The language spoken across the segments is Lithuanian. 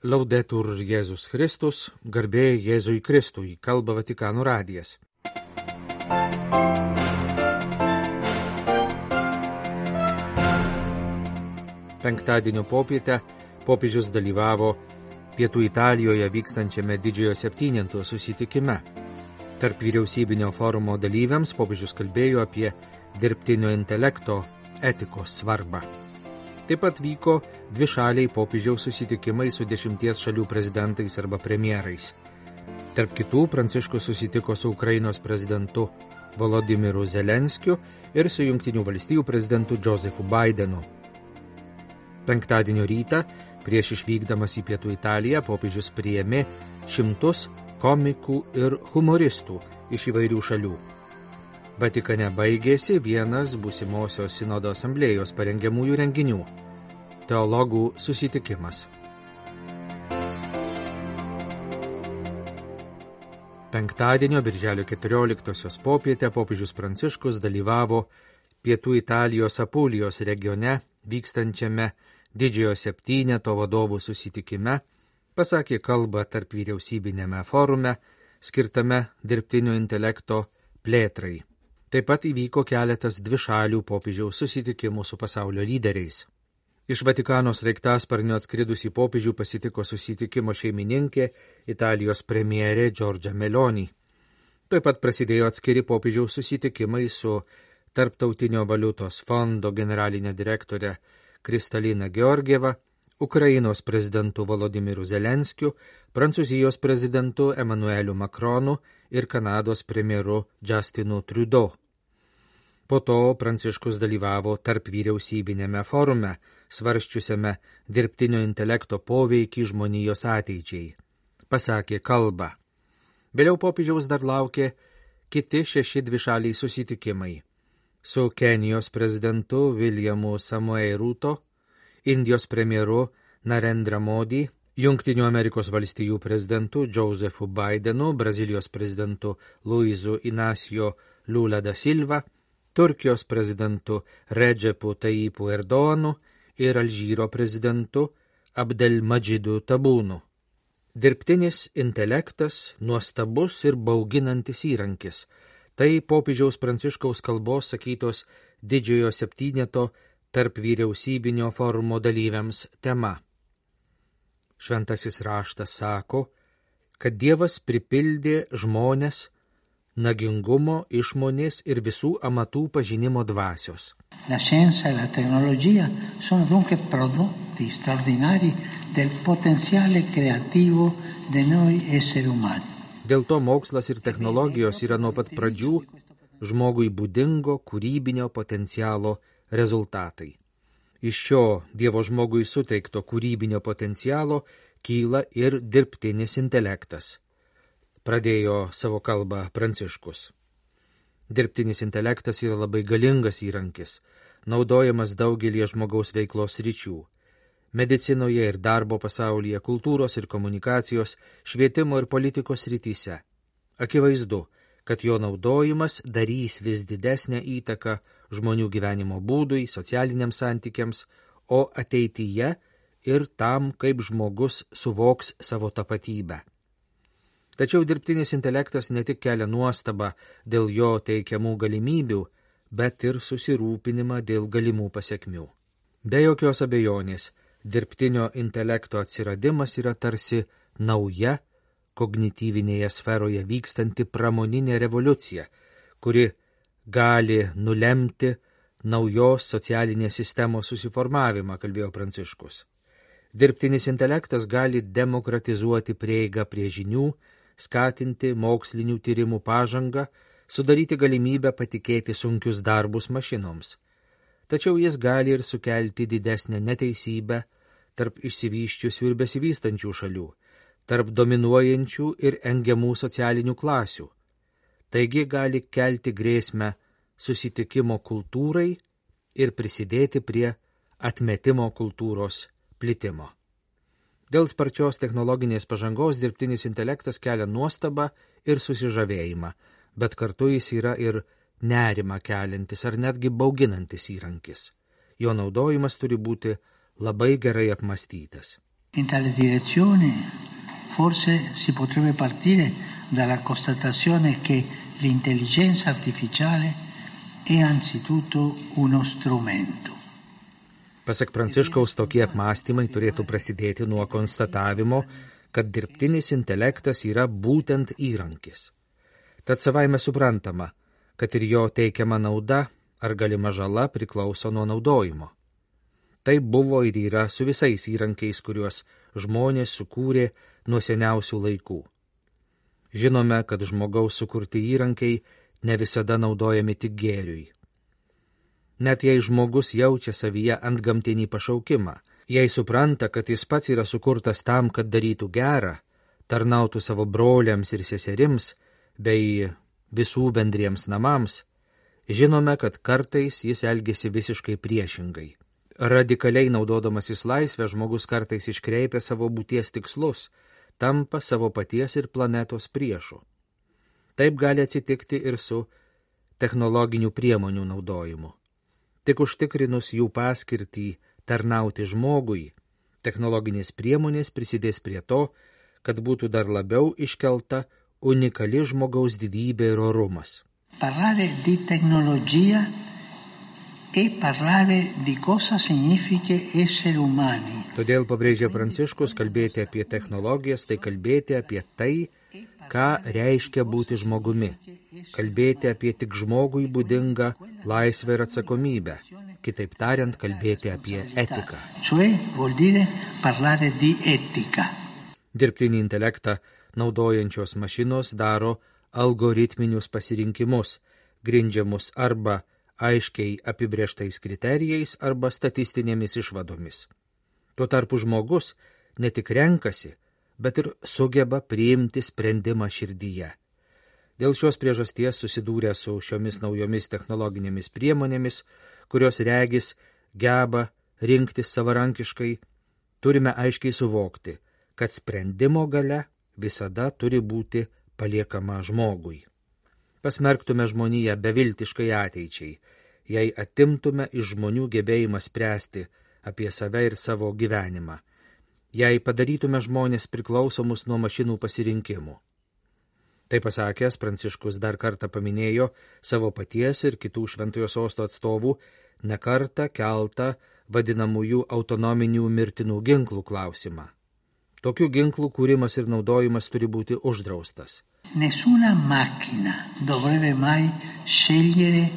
Laudetur Jėzus Kristus, garbė Jėzui Kristui, kalba Vatikano radijas. Penktadienio popietę popiežius dalyvavo Pietų Italijoje vykstančiame Didžiojo septyneto susitikime. Tarp vyriausybinio forumo dalyviams popiežius kalbėjo apie dirbtinio intelekto etikos svarbą. Taip pat vyko dvišaliai popiežiaus susitikimai su 10 šalių prezidentais arba premjerais. Tarp kitų, Pranciškus susitiko su Ukrainos prezidentu Volodymyru Zelenskiu ir su Jungtinių valstijų prezidentu Josephu Bidenu. Penktadienio rytą, prieš išvykdamas į Pietų Italiją, popiežius priėmė 100 komikų ir humoristų iš įvairių šalių. Vatikane baigėsi vienas būsimosios sinodo asamblėjos parengiamųjų renginių – teologų susitikimas. Penktadienio birželio 14 popietę popiežius Pranciškus dalyvavo Pietų Italijos Apulijos regione vykstančiame Didžiojo septyneto vadovų susitikime, pasakė kalbą tarp vyriausybinėme forume skirtame dirbtinio intelekto plėtrai. Taip pat įvyko keletas dvišalių popiežiaus susitikimų su pasaulio lyderiais. Iš Vatikano sraigtasparnio atskridusį popiežių pasitiko susitikimo šeimininkė Italijos premjerė Giorgia Meloni. Taip pat prasidėjo atskiri popiežiaus susitikimai su Tarptautinio valiutos fondo generalinė direktorė Kristalina Georgieva, Ukrainos prezidentu Volodymyru Zelenskiu, Prancūzijos prezidentu Emmanueliu Macronu ir Kanados premjeru Justinu Trudeau. Po to Pranciškus dalyvavo tarp vyriausybinėme forume, svarsčiusiame dirbtinio intelekto poveikį žmonijos ateičiai. Pasakė kalbą. Vėliau popiežiaus dar laukė kiti 6 dvišaliai susitikimai. Su Kenijos prezidentu Williamu Samoei Ruto, Indijos premjeru Narendra Modi, Jungtinių Amerikos valstijų prezidentu Josephu Bidenu, Brazilijos prezidentu Luizu Inácio Lula da Silva, Turkijos prezidentu Recepu Tayyipu Erdoğanu ir Alžyro prezidentu Abdelmadžidu Tabūnu. Dirbtinis intelektas nuostabus ir bauginantis įrankis. Tai popiežiaus Pranciškaus kalbos sakytos Didžiojo septyneto tarp vyriausybinio forumo dalyviams tema. Šventasis raštas sako, kad Dievas pripildė žmones nagingumo, išmonės ir visų amatų pažinimo dvasios. La scienza e la tecnologia sono dunque prodotti straordinari del potenziale creativo de noi esseri umani. Dėl to mokslas ir technologijos yra nuo pat pradžių žmogui būdingo kūrybinio potencialo rezultatai. Iš šio Dievo žmogui suteikto kūrybinio potencialo kyla ir dirbtinis intelektas. Pradėjo savo kalbą Pranciškus. Dirbtinis intelektas yra labai galingas įrankis, naudojamas daugelį žmogaus veiklos sričių. Medicinoje ir darbo pasaulyje, kultūros ir komunikacijos, švietimo ir politikos srityse. Akivaizdu, kad jo naudojimas darys vis didesnę įtaką žmonių gyvenimo būdui, socialiniams santykiams, o ateityje ir tam, kaip žmogus suvoks savo tapatybę. Tačiau dirbtinis intelektas ne tik kelia nuostabą dėl jo teikiamų galimybių, bet ir susirūpinimą dėl galimų pasekmių. Be jokios abejonės, dirbtinio intelekto atsiradimas yra tarsi nauja kognityvinėje sferoje vykstanti pramoninė revoliucija, kuri gali nulemti naujos socialinės sistemos susiformavimą, kalbėjo Pranciškus. Dirbtinis intelektas gali demokratizuoti prieigą prie žinių, skatinti mokslinių tyrimų pažangą, sudaryti galimybę patikėti sunkius darbus mašinoms. Tačiau jis gali ir sukelti didesnę neteisybę tarp išsivysčiusių ir besivystančių šalių, tarp dominuojančių ir engiamų socialinių klasių. Taigi gali kelti grėsmę susitikimo kultūrai ir prisidėti prie atmetimo kultūros plitimo. Dėl sparčios technologinės pažangos dirbtinis intelektas kelia nuostabą ir susižavėjimą, bet kartu jis yra ir nerimą keliantis ar netgi bauginantis įrankis. Jo naudojimas turi būti labai gerai apmąstytas. In tale direzione forse si potrebbe partire dalla constatazione che l'intelligenza artificiale è anzitutto uno strumento. Pasak Pranciškaus, tokie apmąstymai turėtų prasidėti nuo konstatavimo, kad dirbtinis intelektas yra būtent įrankis. Tad savaime suprantama, kad ir jo teikiama nauda ar galima žala priklauso nuo naudojimo. Tai buvo ir yra su visais įrankiais, kuriuos žmonės sukūrė nuo seniausių laikų. Žinome, kad žmogaus sukurti įrankiai ne visada naudojami tik gėriui. Net jei žmogus jaučia savyje antgamtinį pašaukimą, jei supranta, kad jis pats yra sukurtas tam, kad darytų gerą, tarnautų savo broliams ir seserims, bei visų bendriems namams, žinome, kad kartais jis elgiasi visiškai priešingai. Radikaliai naudodamasis laisvę, žmogus kartais iškreipia savo būties tikslus, tampa savo paties ir planetos priešu. Taip gali atsitikti ir su technologinių priemonių naudojimu. Tik užtikrinus jų paskirtį tarnauti žmogui, technologinės priemonės prisidės prie to, kad būtų dar labiau iškelta unikali žmogaus didybė ir orumas. Parlare di tecnologia e parlare di cosa significa essere umani. Todėl pabrėžia Pranciškus, kalbėti apie technologijas, tai kalbėti apie tai, ką reiškia būti žmogumi. Kalbėti apie tik žmogui būdingą laisvę ir atsakomybę. Kitaip tariant, kalbėti apie etiką. Cioè vuol dire parlare di etica. Dirbtinį intelektą naudojančios mašinos daro algoritminius pasirinkimus, grindžiamus arba aiškiai apibrėžtais kriterijais arba statistinėmis išvadomis. Tuo tarpu žmogus ne tik renkasi, bet ir sugeba priimti sprendimą širdyje. Dėl šios priežasties susidūrę su šiomis naujomis technologinėmis priemonėmis, kurios regis geba rinktis savarankiškai, turime aiškiai suvokti, kad sprendimo galia visada turi būti paliekama žmogui. Pasmerktume žmoniją beviltiškai ateičiai, jei atimtume iš žmonių gebėjimą spręsti apie save ir savo gyvenimą, jei padarytume žmonės priklausomus nuo mašinų pasirinkimų. Tai pasakęs, Pranciškus dar kartą paminėjo savo paties ir kitų Šventojo Sosto atstovų nekartą keltą vadinamųjų autonominių mirtinų ginklų klausimą. Tokių ginklų kūrimas ir naudojimas turi būti uždraustas. Nessuna macchina dovrebbe mai scegliere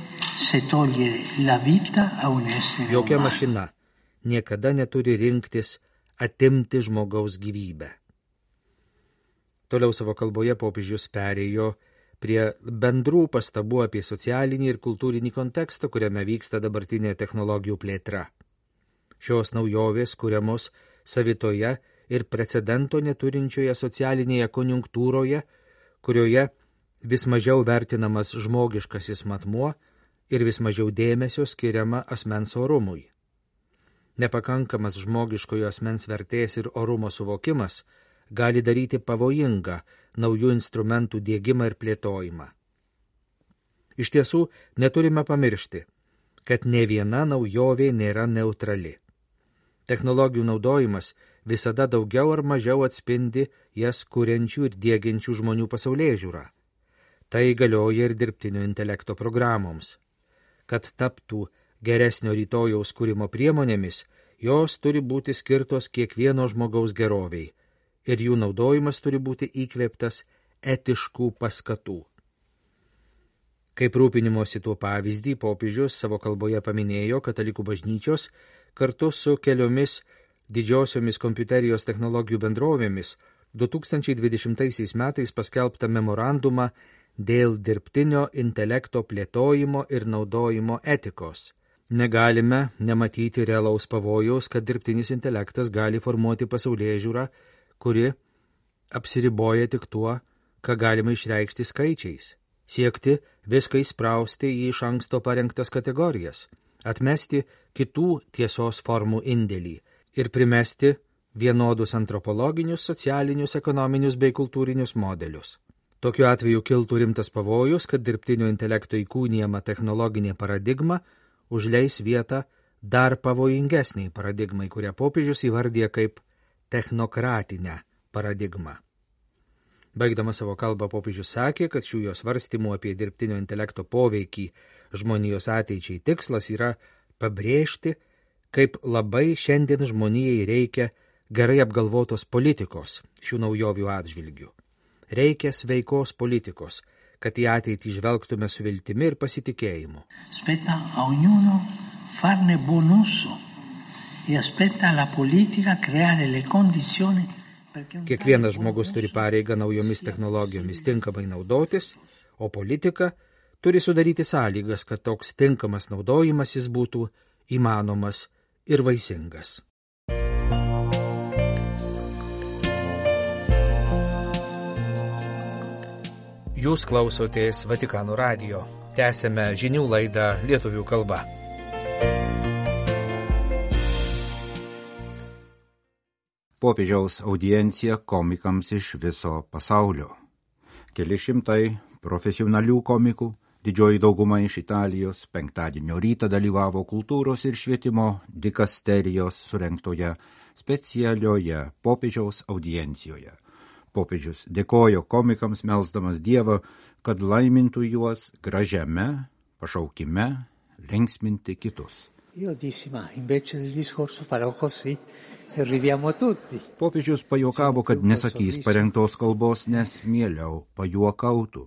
se togliere la vita a un essere umano. Jokia mašina niekada neturi rinktis atimti žmogaus gyvybę. Toliau savo kalboje popiežius perėjo prie bendrų pastabų apie socialinį ir kultūrinį kontekstą, kuriame vyksta dabartinė technologijų plėtra. Šios naujovės kuriamos savitoje ir precedento neturinčioje socialinėje konjunktūroje, kurioje vis mažiau vertinamas žmogiškasis matmuo ir vis mažiau dėmesio skiriama asmens orumui. Nepakankamas žmogiškojo asmens vertės ir orumo suvokimas gali daryti pavojingą naujų instrumentų diegimą ir plėtojimą. Iš tiesų, neturime pamiršti, kad ne viena naujovė nėra neutrali. Technologijų naudojimas visada daugiau ar mažiau atspindi jas kuriančių ir diegiančių žmonių pasaulėžiūrą. Tai galioja ir dirbtinio intelekto programoms. Kad taptų geresnio rytojaus kūrimo priemonėmis, jos turi būti skirtos kiekvieno žmogaus geroviai ir jų naudojimas turi būti įkvėptas etiškų paskatų. Kaip rūpinimosi tuo pavyzdį, popiežius savo kalboje paminėjo katalikų bažnyčios kartu su keliomis didžiosiomis kompiuterijos technologijų bendrovėmis 2020 metais paskelbtą memorandumą dėl dirbtinio intelekto plėtojimo ir naudojimo etikos. Negalime nematyti realaus pavojaus, kad dirbtinis intelektas gali formuoti pasaulėžiūrą, kuri apsiriboja tik tuo, ką galima išreikšti skaičiais, siekti viską įsprausti į iš anksto parengtas kategorijas, atmesti kitų tiesos formų indėlį ir primesti vienodus antropologinius, socialinius, ekonominius bei kultūrinius modelius. Tokiu atveju kiltų rimtas pavojus, kad dirbtinio intelekto įkūnijama technologinė paradigma užleis vietą dar pavojingesniai paradigmai, kurią popiežius įvardija kaip technokratinę paradigmą. Baigdamas savo kalbą popiežius sakė, kad šių jo svarstymų apie dirbtinio intelekto poveikį žmonijos ateičiai tikslas yra pabrėžti, kaip labai šiandien žmonijai reikia gerai apgalvotos politikos šių naujovių atžvilgių. Reikia sveikos politikos, kad į ateitį žvelgtume su viltimi ir pasitikėjimu. Spetta a ognuno farne buon uso e aspetta alla politica creare le condizioni. Kiekvienas žmogus turi pareigą naujomis technologijomis tinkamai naudotis, o politika turi sudaryti sąlygas, kad toks tinkamas naudojimasis būtų įmanomas ir vaisingas. Jūs klausotės Vatikano radijo. Tęsėme žinių laidą lietuvių kalba. Popiežiaus audiencija komikams iš viso pasaulio. Keli šimtai profesionalių komikų, didžioji dauguma iš Italijos, penktadienio rytą dalyvavo kultūros ir švietimo dikasterijos surengtoje specialioje popiežiaus audiencijoje. Popiežius dėkojo komikams melsdamas Dievą, kad laimintų juos gražiame pašaukime linksminti kitus. Io dissi, ma invece del discorso farò così. Ridiamo tutti. Popiežius pajuokavo, kad nesakys parengtos kalbos, nes mieliau pajuokautų.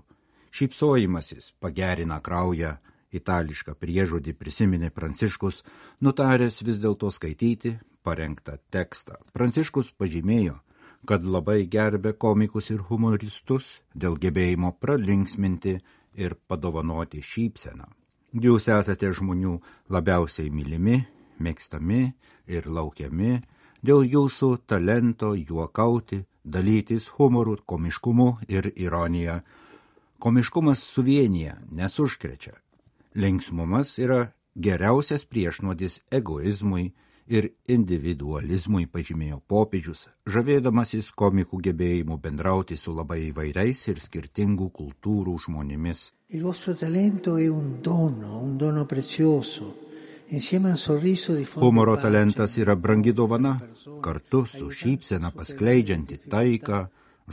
Šypsojimasis pagerina kraują, itališką priežodį prisiminė Pranciškus, nutaręs vis dėlto skaityti parengtą tekstą. Pranciškus pažymėjo, kad labai gerbė komikus ir humoristus dėl gebėjimo pralinksminti ir padovanoti šypseną. Jūs esate žmonių labiausiai mylimi, mėgstami ir laukiami, dėl jūsų talento juokauti, dalytis humoru, komiškumu ir ironija. Komiškumas suvienyje, nesužkrečia. Linksmumas yra geriausias priešnuodis egoizmui ir individualizmui, pažymėjo popiežius, žavėdamasis komikų gebėjimu bendrauti su labai įvairiais ir skirtingų kultūrų žmonėmis. Il vostro talento è un dono prezioso. Humoro talentas yra brangi dovana, kartu su šypsena paskleidžianti taiką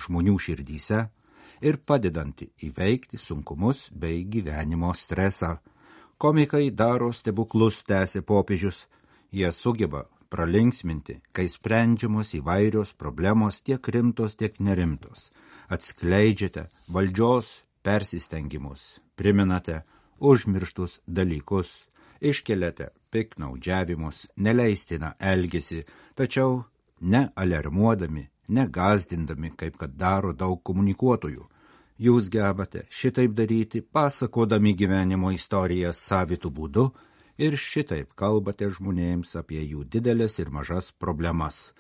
žmonių širdyse ir padedanti įveikti sunkumus bei gyvenimo stresą. Komikai daro stebuklus, tęsė popiežius. Jie sugeba pralinksminti, kai sprendžiamos įvairios problemos tiek rimtos, tiek nerimtos. Atskleidžiate valdžios persistengimus, priminate užmirštus dalykus, iškeliate piknaudžiavimus, neleistiną elgesį, tačiau nealarmuodami, negazdindami, kaip kad daro daug komunikuotojų. Jūs gebate šitaip daryti, pasakodami gyvenimo istoriją savitų būdu ir šitaip kalbate žmonėms apie jų didelės ir mažas problemas.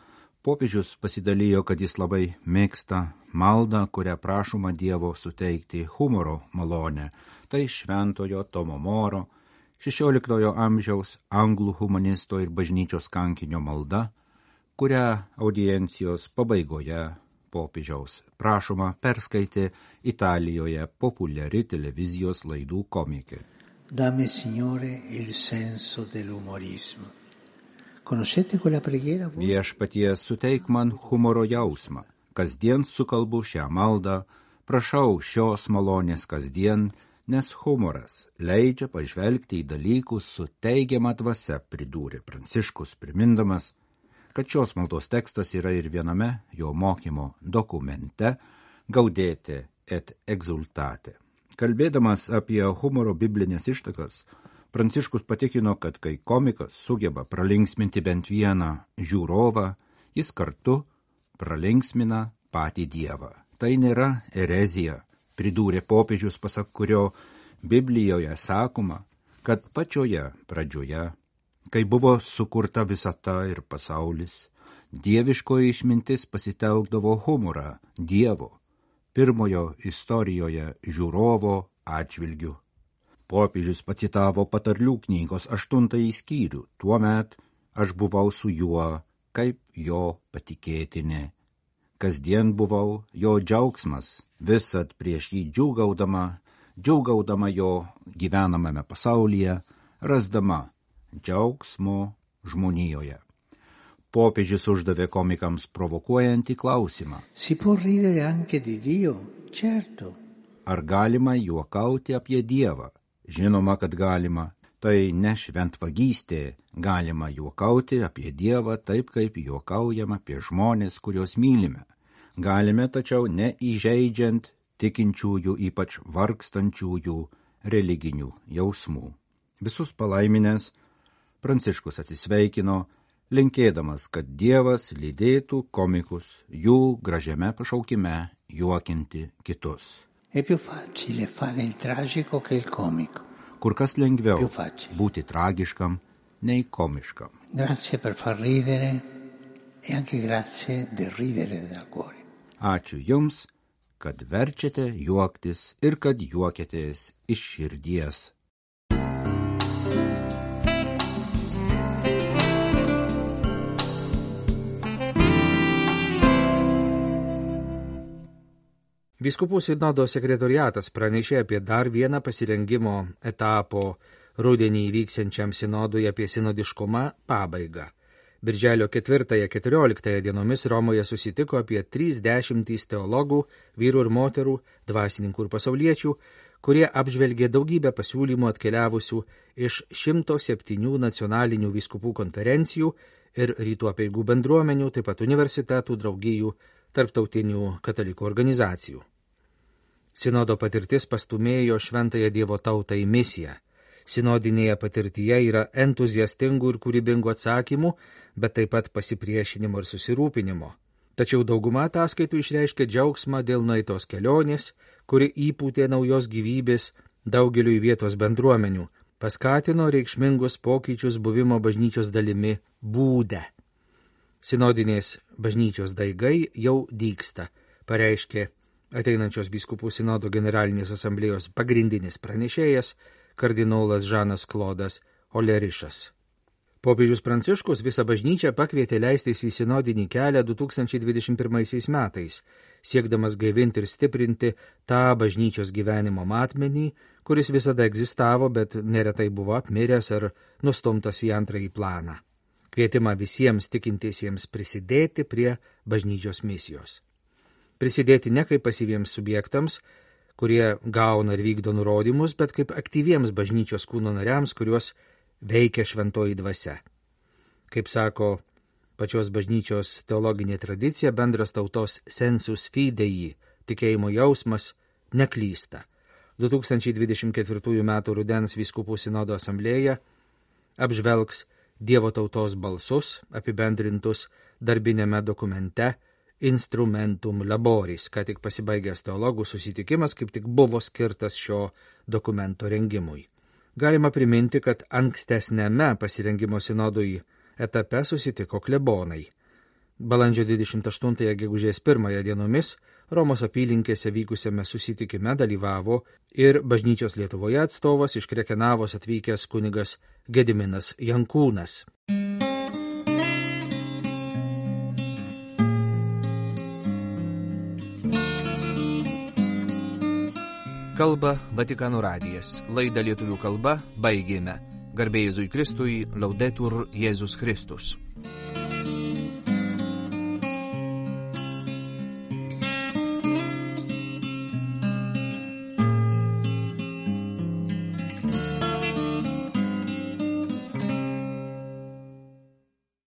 Popiežius pasidalijo, kad jis labai mėgsta maldą, kurią prašoma Dievo suteikti humoro malonę. Tai šventojo Tomo Moro, 16 amžiaus anglų humanisto ir bažnyčios kankinio malda, kurią audiencijos pabaigoje popiežiaus prašoma perskaitė Italijoje populiari televizijos laidų komikė. Dame, Signore, il senso dell'umorismo. Conoscete quella preghiera? Viešpatie, suteik man humoro jausmą. Kasdien sukalbu šią maldą, prašau šios malonės kasdien, nes humoras leidžia pažvelgti į dalykus su teigiama dvasia, pridūrė Pranciškus, primindamas, kad šios maldos tekstas yra ir viename jo mokymo dokumente Gaudete et exultate. Kalbėdamas apie humoro biblinės ištakas, Pranciškus patikino, kad kai komikas sugeba pralinksminti bent vieną žiūrovą, jis kartu pralinksmina patį Dievą. Tai nėra erezija, pridūrė popiežius, pasak kurio Biblijoje sakoma, kad pačioje pradžioje, kai buvo sukurta visata ir pasaulis, dieviškoji išmintis pasitelkdavo humorą Dievo, pirmojo istorijoje žiūrovo atžvilgiu. Popiežius pacitavo patarlių knygos 8 skyrių. Tuomet aš buvau su juo, kaip jo patikėtinė. Kasdien buvau jo džiaugsmas, visad prieš jį džiūgaudama jo gyvenamame pasaulyje, rasdama džiaugsmo žmonijoje. Popiežius uždavė komikams provokuojantį klausimą. Si può ridere anche di Dio? Certo. Ar galima juokauti apie Dievą? Žinoma, kad galima. Tai ne šventvagystė. Galima juokauti apie Dievą taip, kaip juokaujama apie žmonės, kuriuos mylime. Galime, tačiau neįžeidžiant tikinčiųjų, ypač vargstančiųjų religinių jausmų. Visus palaiminęs, Pranciškus atsisveikino, linkėdamas, kad Dievas lydėtų komikus jų gražiame pašaukime juokinti kitus. È più facile fare il tragico che il comico. Kur kas lengviau būti tragiškam nei komiškam. Grazie per far ridere e anche grazie del ridere dal cuore. Ačiū Jums, kad verčiate juoktis ir kad juokėtės iš širdies. Vyskupų sinodo sekretoriatas pranešė apie dar vieną pasirengimo etapo rudenį įvyksiančiam sinodui apie sinodiškumą pabaigą. Birželio 4-14 dienomis Romoje susitiko apie 30 teologų, vyrų ir moterų, dvasininkų ir pasauliečių, kurie apžvelgė daugybę pasiūlymų atkeliavusių iš 107 nacionalinių vyskupų konferencijų ir rytų apeigų bendruomenių, taip pat universitetų, draugijų, tarptautinių katalikų organizacijų. Sinodo patirtis pastumėjo šventąją Dievo tautą į misiją. Sinodinėje patirtyje yra entuziastingų ir kūrybingų atsakymų, bet taip pat pasipriešinimo ir susirūpinimo. Tačiau dauguma ataskaitų išreiškia džiaugsmą dėl nueitos kelionės, kuri įpūtė naujos gyvybės daugeliui vietos bendruomenių, paskatino reikšmingus pokyčius buvimo bažnyčios dalimi būdę. Sinodinės bažnyčios daigai jau dygsta, pareiškė ateinančios vyskupų sinodo generalinės asamblėjos pagrindinis pranešėjas kardinolas Žanas Klodas Olerišas. Popiežius Pranciškus visą bažnyčią pakvietė leistis į sinodinį kelią 2021 metais, siekdamas gaivinti ir stiprinti tą bažnyčios gyvenimo matmenį, kuris visada egzistavo, bet neretai buvo apmiręs ar nustumtas į antrąjį planą. Kvietimą visiems tikintiesiems prisidėti prie bažnyčios misijos. Prisidėti ne kaip pasyviems subjektams, kurie gauna ir vykdo nurodymus, bet kaip aktyviems bažnyčios kūno nariams, kuriuos veikia šventoji dvasia. Kaip sako pačios bažnyčios teologinė tradicija, bendras tautos sensus fidei, tikėjimo jausmas, neklysta. 2024 m. rudens vyskupų sinodo asamblėja apžvelgs Dievo tautos balsus, apibendrintus darbinėme dokumente Instrumentum Laboris, ką tik pasibaigęs teologų susitikimas, kaip tik buvo skirtas šio dokumento rengimui. Galima priminti, kad ankstesnėme pasirengimo sinodui etape susitiko klebonai. Balandžio 28 gegužės 1 dienomis Romos apylinkėse vykusiame susitikime dalyvavo ir bažnyčios Lietuvoje atstovas iš Krekenavos atvykęs kunigas Gediminas Jankūnas. Kalba Vatikano radijas. Laidą lietuvių kalba baigėme. Garbė Jėzui Kristui, Laudetur Jėzus Kristus.